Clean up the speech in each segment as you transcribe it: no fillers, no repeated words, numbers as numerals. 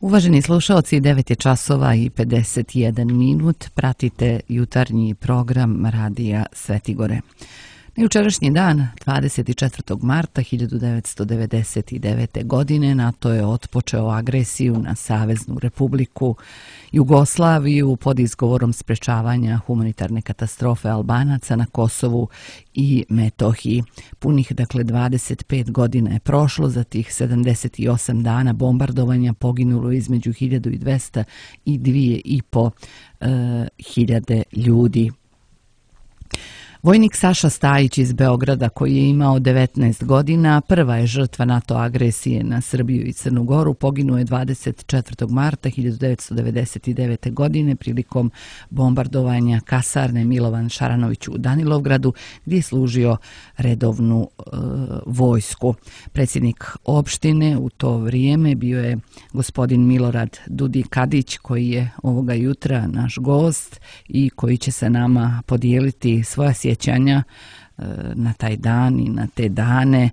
Uvaženi slušalci, 9 je časova i 51 minut. Pratite jutarnji program Radija Svetigore. Na jučerašnji dan, 24. marta 1999. godine, NATO je otpočeo agresiju na Saveznu Republiku Jugoslaviju pod izgovorom sprečavanja humanitarne katastrofe Albanaca na Kosovu i Metohiji. Punih, 25 godina je prošlo, za tih 78 dana bombardovanja poginulo između 1200 i 2500 hiljade ljudi. Vojnik Saša Stajić iz Beograda, koji je imao 19 godina, prva je žrtva NATO agresije na Srbiju i Crnu Goru. Poginuo je 24. marta 1999. godine prilikom bombardovanja kasarne Milovan Šaranović u Danilovgradu, gdje je služio redovnu vojsku. Predsjednik opštine u to vrijeme bio je gospodin Milorad Dudi-Kadić, koji je ovoga jutra naš gost i koji će sa nama podijeliti svoja sjećanja na taj dan i na te dane,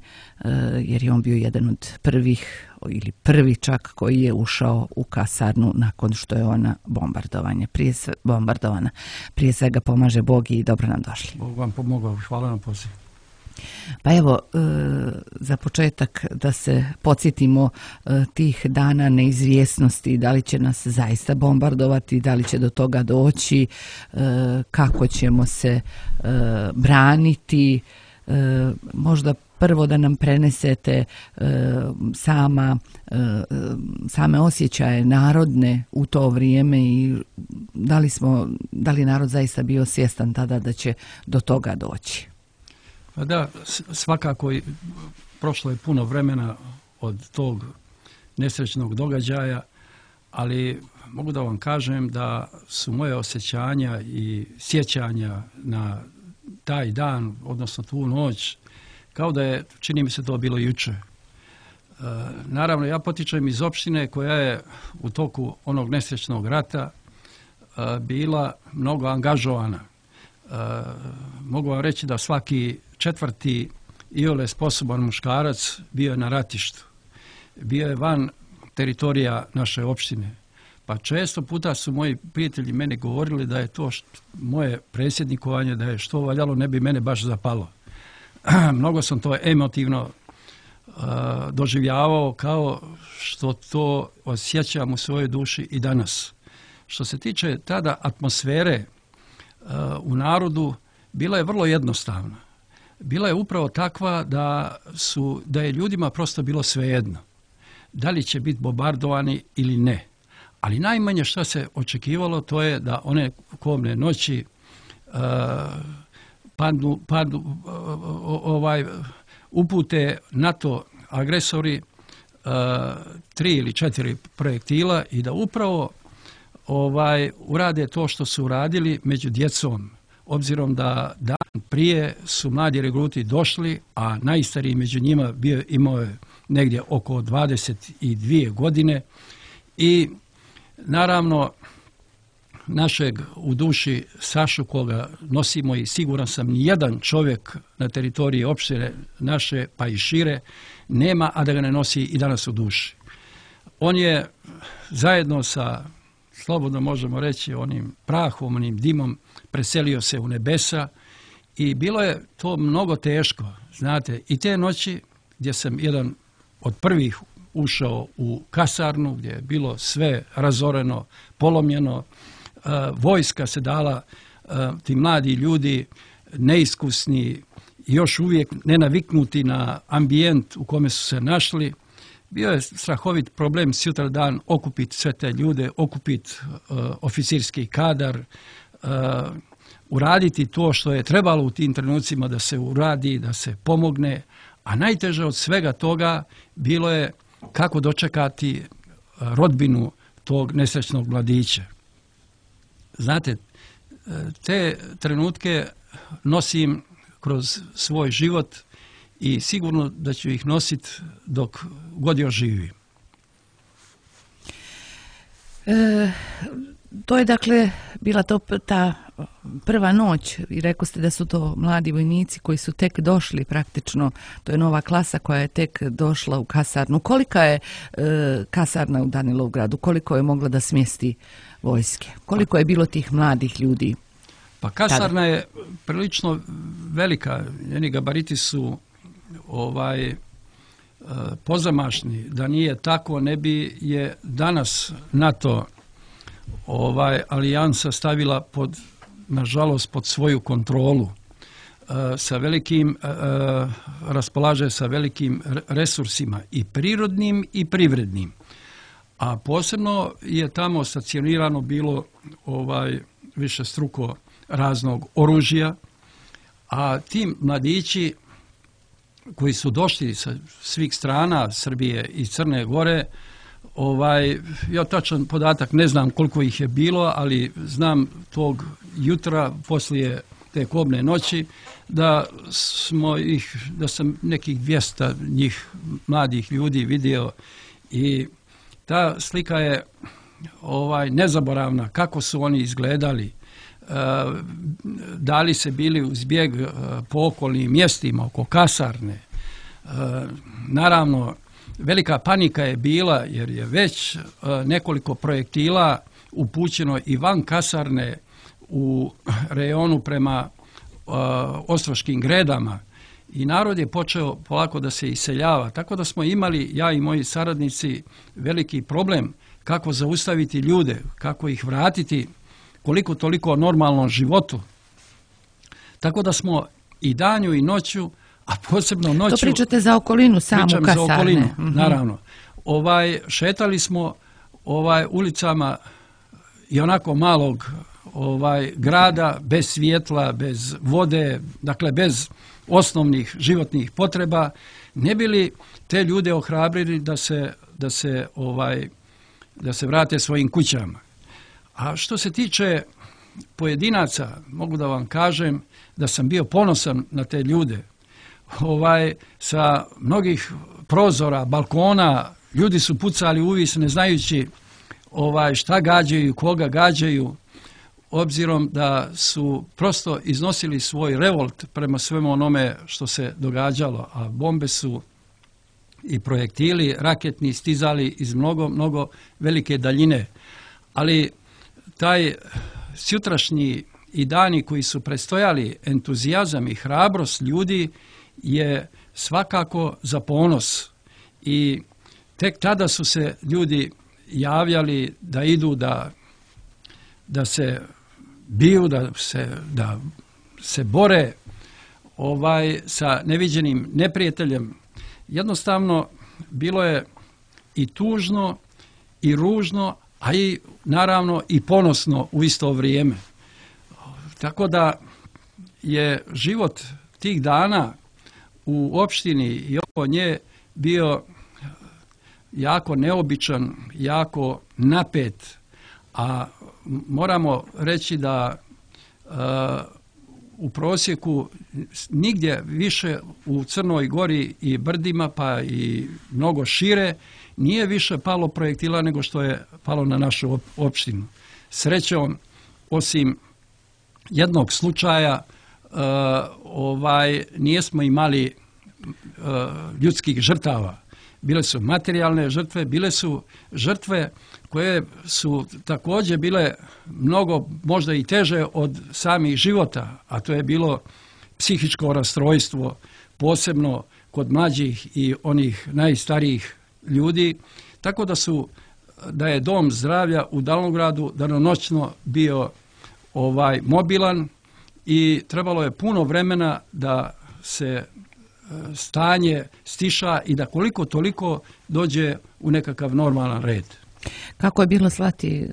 jer je on bio jedan od prvih ili prvi čak koji je ušao u kasarnu nakon što je ona bombardovana. Prije svega pomaže Bog i dobro nam došli. Bog vam pomogao, hvala na pozivu. Pa evo, za početak da se podsjetimo tih dana neizvjesnosti, da li će nas zaista bombardovati, da li će do toga doći, kako ćemo se braniti, možda prvo da nam prenesete same osjećaje narodne u to vrijeme i da li narod zaista bio svjestan tada da će do toga doći. Da, svakako prošlo je puno vremena od tog nesrećnog događaja, ali mogu da vam kažem da su moje osjećanja i sjećanja na taj dan, odnosno tu noć, kao da je, čini mi se, to bilo juče. Naravno, ja potičem iz opštine koja je u toku onog nesrećnog rata bila mnogo angažovana. Mogu vam reći da svaki četvrti iole sposoban muškarac bio je na ratištu. Bio je van teritorija naše opštine. Pa često puta su moji prijatelji meni govorili da je to moje predsjednikovanje, da je što valjalo, ne bi mene baš zapalo. Mnogo sam to emotivno doživljavao, kao što to osjećam u svojoj duši i danas. Što se tiče tada atmosfere u narodu, bila je vrlo jednostavna. Bila je upravo takva da je ljudima prosto bilo svejedno. Da li će biti bombardovani ili ne. Ali najmanje što se očekivalo, to je da one kobne noći upute NATO agresori 3 ili 4 projektila i da upravo urade to što su uradili među djecom, obzirom da dan prije su mladi regruti došli, a najstariji među njima imao je negdje oko 22 godine i naravno našeg u duši Sašu, koga nosimo i siguran sam nijedan čovjek na teritoriji opštine naše pa i šire nema, a da ga ne nosi i danas u duši. On je zajedno sa, slobodno možemo reći, onim prahom, onim dimom preselio se u nebesa i bilo je to mnogo teško. Znate, i te noći gdje sam jedan od prvih ušao u kasarnu, gdje je bilo sve razoreno, polomljeno, vojska se dala, ti mladi ljudi, neiskusni, još uvijek nenaviknuti na ambijent u kome su se našli. Bio je strahovit problem sutradan okupiti sve te ljude, okupiti oficirski kadar, uraditi to što je trebalo u tim trenucima da se uradi, da se pomogne, a najteže od svega toga bilo je kako dočekati rodbinu tog nesrećnog mladića. Znate, te trenutke nosim kroz svoj život i sigurno da ću ih nositi dok god još živim. To je dakle bila to ta prva noć i rekao ste da su to mladi vojnici koji su tek došli praktično, to je nova klasa koja je tek došla u kasarnu. Kolika je kasarna u Danilovgradu? Koliko je mogla da smjesti vojske? Koliko je bilo tih mladih ljudi? Pa kasarna je prilično velika, njeni gabariti su pozamašni. Da nije tako, ne bi je danas NATO alijansa stavila nažalost pod svoju kontrolu. Raspolaže sa velikim resursima i prirodnim i privrednim. A posebno je tamo stacionirano bilo višestruko raznog oružja, a ti mladići koji su došli sa svih strana Srbije i Crne Gore, ja tačan podatak ne znam koliko ih je bilo, ali znam tog jutra poslije te kobne noći da sam nekih 200 njih mladih ljudi vidio i ta slika je nezaboravna kako su oni izgledali. Da li se bili uz bijeg po okolnim mjestima, oko kasarne. Naravno, velika panika je bila jer je već nekoliko projektila upućeno i van kasarne u rejonu prema Ostroškim Gredama i narod je počeo polako da se iseljava. Tako da smo imali, ja i moji saradnici, veliki problem kako zaustaviti ljude, kako ih vratiti koliko toliko normalnom životu. Tako da smo i danju i noću, a posebno noću... To pričate za okolinu samu kasarne. Pričam za okolinu, naravno. Šetali smo ulicama i onako malog grada, bez svjetla, bez vode, dakle bez osnovnih životnih potreba, ne bi li te ljude ohrabrili da se vrate svojim kućama. A što se tiče pojedinaca, mogu da vam kažem da sam bio ponosan na te ljude. Sa mnogih prozora, balkona, ljudi su pucali uvis ne znajući šta gađaju, koga gađaju, obzirom da su prosto iznosili svoj revolt prema svemu onome što se događalo, a bombe su i projektili raketni stizali iz mnogo velike daljine. Ali taj sutrašnji i dani koji su prestojali, entuzijazam i hrabrost ljudi je svakako za ponos. I tek tada su se ljudi javljali da idu da se biju, da se bore sa neviđenim neprijateljem. Jednostavno bilo je i tužno i ružno, a i naravno i ponosno u isto vrijeme. Tako da je život tih dana u opštini i oko nje bio jako neobičan, jako napet, a moramo reći da u prosjeku nigdje više u Crnoj Gori i brdima, pa i mnogo šire, nije više palo projektila nego što je palo na našu opštinu. Srećom, osim jednog slučaja, nijesmo imali ljudskih žrtava. Bile su materijalne žrtve, bile su žrtve koje su također bile mnogo možda i teže od samih života, a to je bilo psihičko rastrojstvo, posebno kod mlađih i onih najstarijih ljudi, tako da je dom zdravlja u Danilovgradu danonoćno bio mobilan i trebalo je puno vremena da se stanje stiša i da koliko toliko dođe u nekakav normalan red. Kako je bilo slati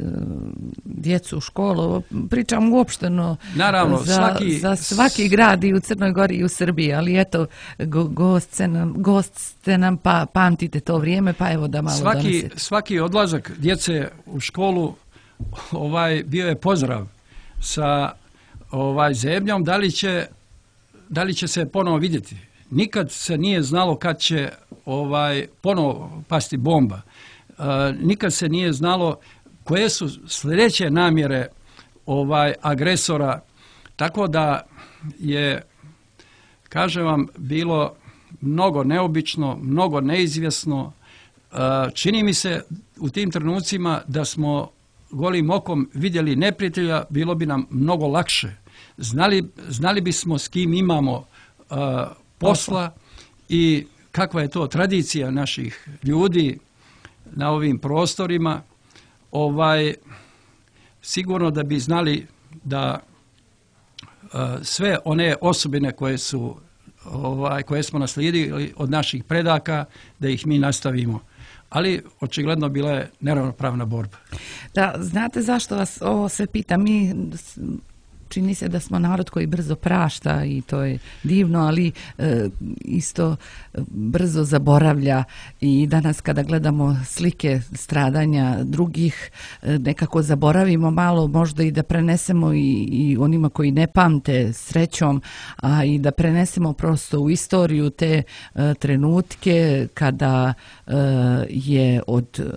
djecu u školu? Pričam uopšteno za svaki grad i u Crnoj Gori i u Srbiji, ali eto, gost ste nam pa pamtite to vrijeme, pa evo da malo donesete. Svaki odlazak djece u školu bio je pozdrav sa zebnjom, da li će se ponovo vidjeti. Nikad se nije znalo kad će ponovo pasti bomba. Nikad se nije znalo koje su sljedeće namjere agresora, tako da je, kažem vam, bilo mnogo neobično, mnogo neizvjesno. Čini mi se u tim trenucima da smo golim okom vidjeli neprijatelja, bilo bi nam mnogo lakše. Znali bismo s kim imamo posla i kakva je to tradicija naših ljudi na ovim prostorima. Sigurno da bi znali da sve one osobine koje smo naslijedili od naših predaka, da ih mi nastavimo. Ali očigledno bila je neravnopravna borba. Da, znate zašto vas ovo sve pitam? Čini se da smo narod koji brzo prašta i to je divno, ali isto brzo zaboravlja i danas kada gledamo slike stradanja drugih, nekako zaboravimo malo, možda i da prenesemo i onima koji ne pamte srećom, a i da prenesemo prosto u istoriju te trenutke kada je od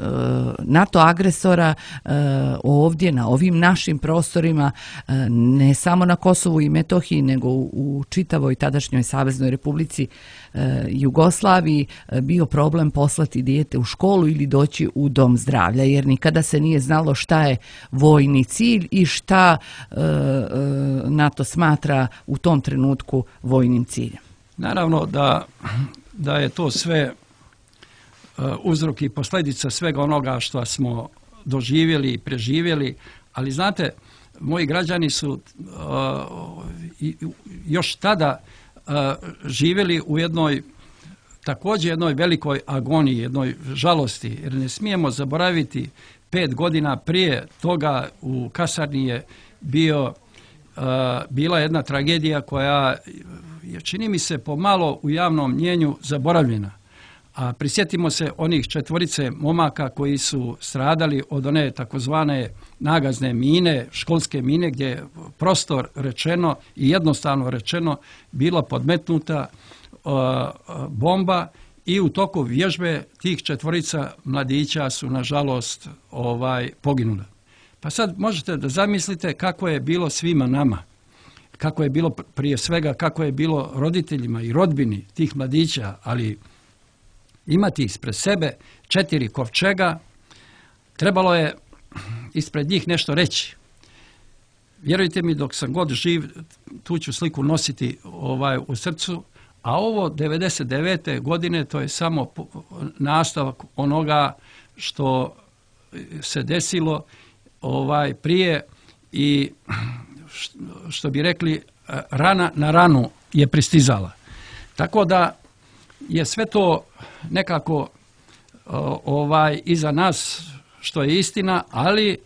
NATO agresora ovdje na ovim našim prostorima, ne samo na Kosovu i Metohiji, nego u čitavoj tadašnjoj Saveznoj Republici Jugoslaviji bio problem poslati dijete u školu ili doći u dom zdravlja, jer nikada se nije znalo šta je vojni cilj i šta NATO smatra u tom trenutku vojnim ciljem. Naravno da je to sve uzrok i posljedica svega onoga što smo doživjeli i preživjeli, ali znate, moji građani su još tada živjeli u također jednoj velikoj agoniji, jednoj žalosti, jer ne smijemo zaboraviti 5 godina prije toga u kasarni je bila jedna tragedija koja je, čini mi se, pomalo u javnom mnijenju zaboravljena. A prisjetimo se onih 4 momaka koji su stradali od one takozvane nagazne mine, školske mine, gdje je prostor rečeno i jednostavno rečeno bila podmetnuta bomba i u toku vježbe tih 4 mladića su nažalost poginula. Pa sad možete da zamislite kako je bilo svima nama, kako je bilo prije svega, kako je bilo roditeljima i rodbini tih mladića, ali imati ispred sebe 4 kovčega, trebalo je ispred njih nešto reći. Vjerujte mi, dok sam god živ, tu ću sliku nositi u srcu, a ovo 99. godine to je samo nastavak onoga što se desilo prije i što bi rekli, rana na ranu je pristizala. Tako da je sve to nekako iza nas, što je istina, ali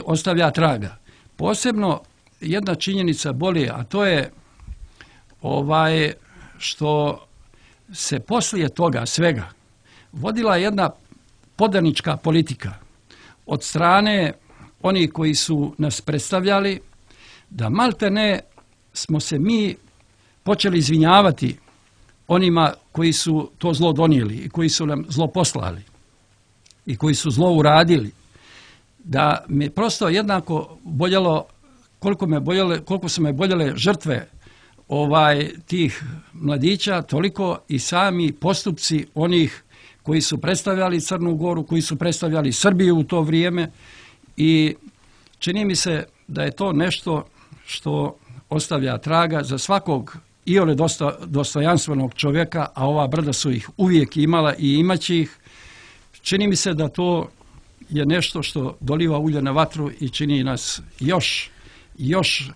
ostavlja traga. Posebno jedna činjenica boli, a to je što se poslije toga svega vodila jedna podanička politika od strane onih koji su nas predstavljali, da maltene smo se mi počeli izvinjavati onima koji su to zlo donijeli i koji su nam zlo poslali i koji su zlo uradili. Da me prosto jednako boljelo koliko su me boljele žrtve tih mladića, toliko i sami postupci onih koji su predstavljali Crnu Goru, koji su predstavljali Srbiju u to vrijeme, i čini mi se da je to nešto što ostavlja traga za svakog iole dostojanstvenog čovjeka, a ova brda su ih uvijek imala i imaće ih. Čini mi se da to je nešto što doliva ulje na vatru i čini nas još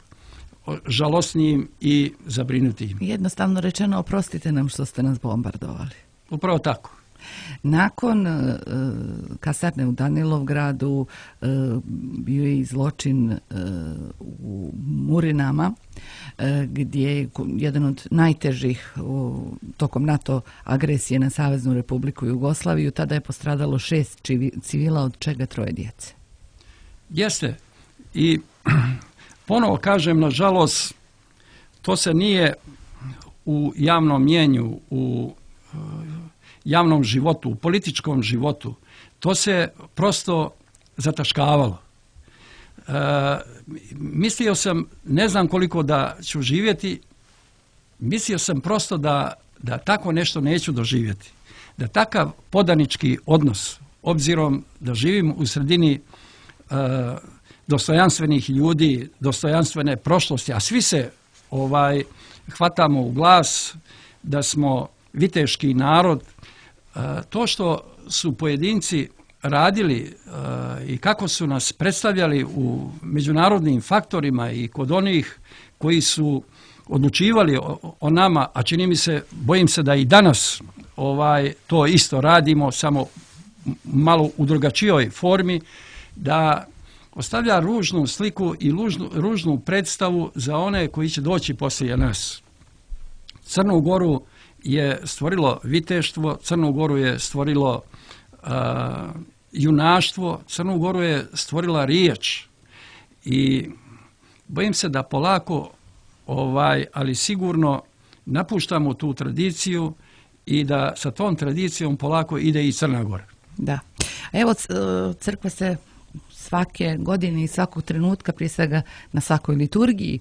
žalosnijim i zabrinutijim. Jednostavno rečeno, oprostite nam što ste nas bombardovali. Upravo tako. Nakon kasarne u Danilovgradu bio je i zločin u Murinama, gdje je jedan od najtežih tokom NATO agresije na Saveznu Republiku Jugoslaviju. Tada je postradalo 6 civila, od čega 3 djece. Jeste. I ponovo kažem, nažalost, to se nije u javnom mnijenju, u javnom životu, u političkom životu, to se prosto zataškavalo. mislio sam, ne znam koliko da ću živjeti, mislio sam prosto da tako nešto neću doživjeti. Da takav podanički odnos, obzirom da živim u sredini dostojanstvenih ljudi, dostojanstvene prošlosti, a svi se hvatamo u glas da smo viteški narod, to što su pojedinci radili i kako su nas predstavljali u međunarodnim faktorima i kod onih koji su odlučivali o nama, a čini mi se, bojim se da i danas to isto radimo, samo malo u drugačijoj formi, da ostavlja ružnu sliku i ružnu predstavu za one koji će doći poslije nas. Crnu Goru je stvorilo viteštvo, Crnu Goru je stvorilo junaštvo, Crnu Goru je stvorila riječ i bojim se da polako, ali sigurno napuštamo tu tradiciju i da sa tom tradicijom polako ide i Crna Gora. Da. Evo, crkva se svake godine i svakog trenutka, prije svega na svakoj liturgiji,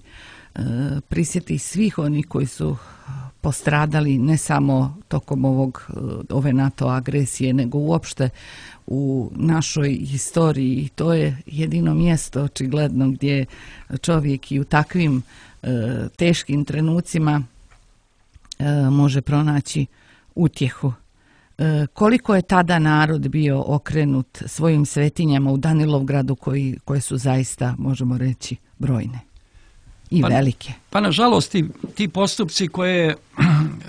prisjeti svih onih koji su postradali ne samo tokom ove NATO agresije, nego uopšte u našoj historiji. I to je jedino mjesto, očigledno, gdje čovjek i u takvim teškim trenucima može pronaći utjehu. Koliko je tada narod bio okrenut svojim svetinjama u Danilovgradu koje su zaista, možemo reći, brojne i velike? Pa nažalost ti postupci koje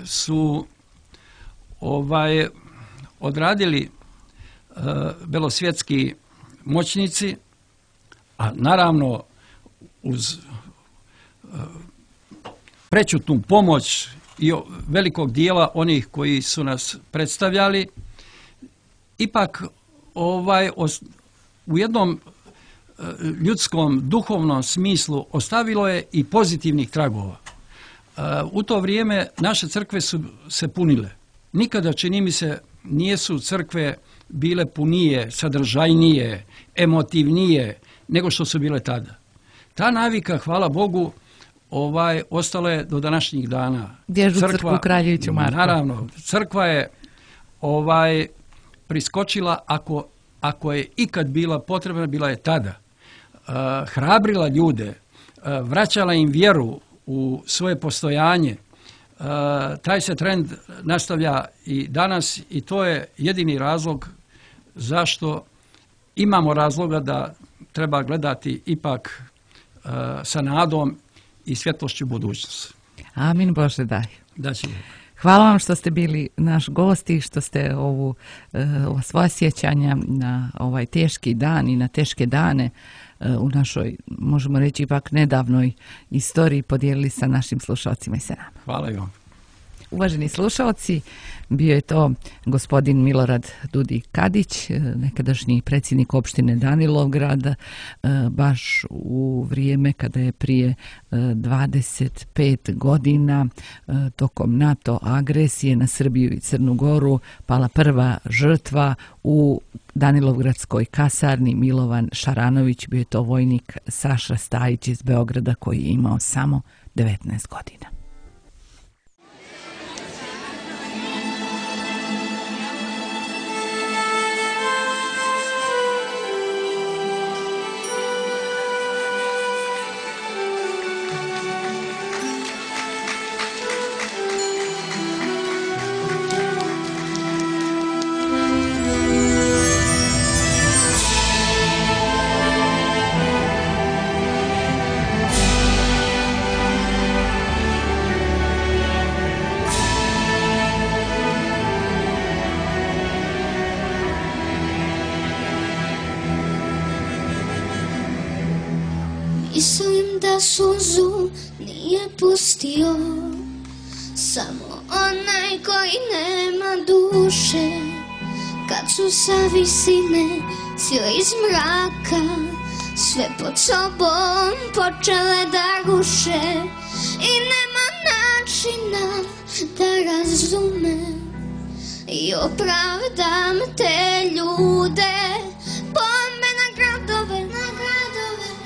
su odradili belosvjetski moćnici, a naravno uz prečutnu pomoć i velikog dijela onih koji su nas predstavljali, ipak u jednom ljudskom, duhovnom smislu ostavilo je i pozitivnih tragova. U to vrijeme naše crkve su se punile. Nikada, čini mi se, nisu crkve bile punije, sadržajnije, emotivnije nego što su bile tada. Ta navika, hvala Bogu, ostala je do današnjih dana. Dježu crkvu Kraljeviću Marku. Naravno, crkva je priskočila, ako je ikad bila potrebna, bila je tada. Hrabrila ljude, vraćala im vjeru u svoje postojanje. Taj se trend nastavlja i danas i to je jedini razlog zašto imamo razloga da treba gledati ipak sa nadom i svjetlošću budućnosti. Amin, Bože daj. Da će. Hvala vam što ste bili naš gost i što ste ova svoja sjećanja na ovaj teški dan i na teške dane u našoj, možemo reći, ipak nedavnoj istoriji podijelili sa našim slušalcima i sa nama. Hvala i vam. Uvaženi slušalci, bio je to gospodin Milorad Dudik Kadić, nekadašnji predsjednik opštine Danilovgrad, baš u vrijeme kada je prije 25 godina tokom NATO agresije na Srbiju i Crnu Goru pala prva žrtva u Danilovgradskoj kasarni Milovan Šaranović. Bio je to vojnik Saša Stajić iz Beograda koji je imao samo 19 godina. Mislim da suzu nije pustio samo onaj koji nema duše. Kad su sa visine sile iz mraka sve pod sobom počele da ruše i nema načina da razumem i opravdam te ljude. Pomena gradove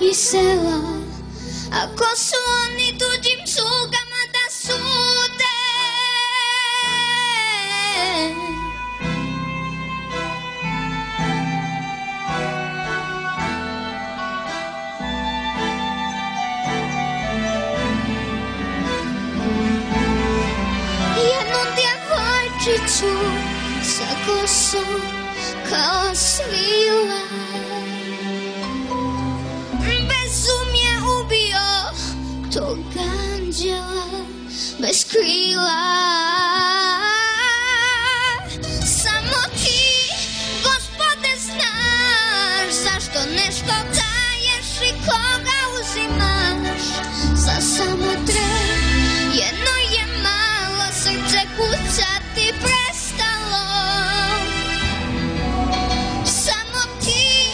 i sela, ako su oni tuđim slugama da sude. Jednu djevojčicu sa kosom kao svila, bezumje ubio tog anđela bez krila. Samo ti, Gospode, znaš zašto nešto daješ i koga uzimaš. Za samo tren jedno je malo, srce kucati prestalo. Samo ti,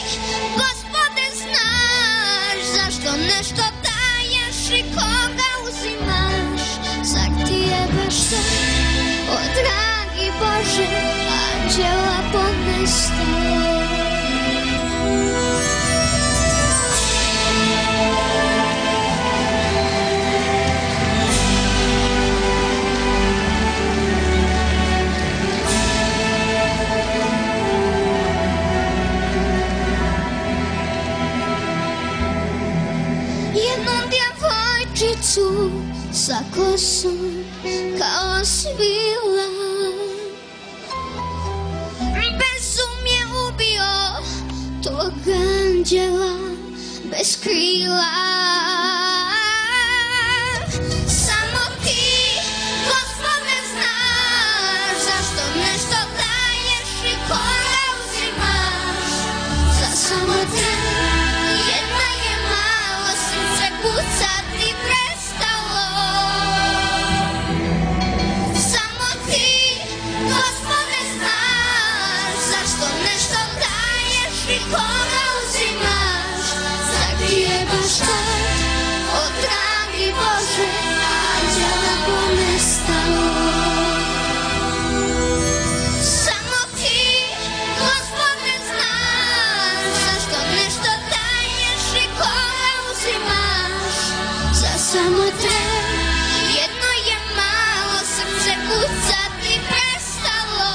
Gospode, znaš zašto nešto daješ i koga uzimaš. Zar ti je baš sve, o dragi Bože, anđela ponestalo. Jednu djevojčicu sa kosom kao svila, bezumje ubio tog anđela bez krila. Samo ti, Gospode, znaš zašto nešto daješ i koga uzimaš. Za samo tren jedna je malo, srce kucati prestalo. Samo ti, Gospode, znaš zašto nešto daješ i koga uzimaš. Zar ti je baš tak, o dragi Bože, anđela ponestalo. Samo ti, Gospode, znaš zašto nešto daješ i koga uzimaš. Za samo tren jedno je malo, srce kucati prestalo.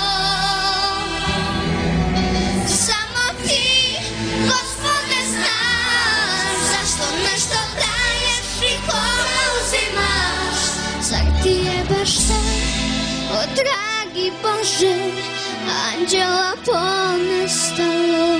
Samo ti, Gospode, znaš zašto nešto daješ i koga uzimaš. Zar ti je baš sve, o dragi Bože, anđela ponestalo.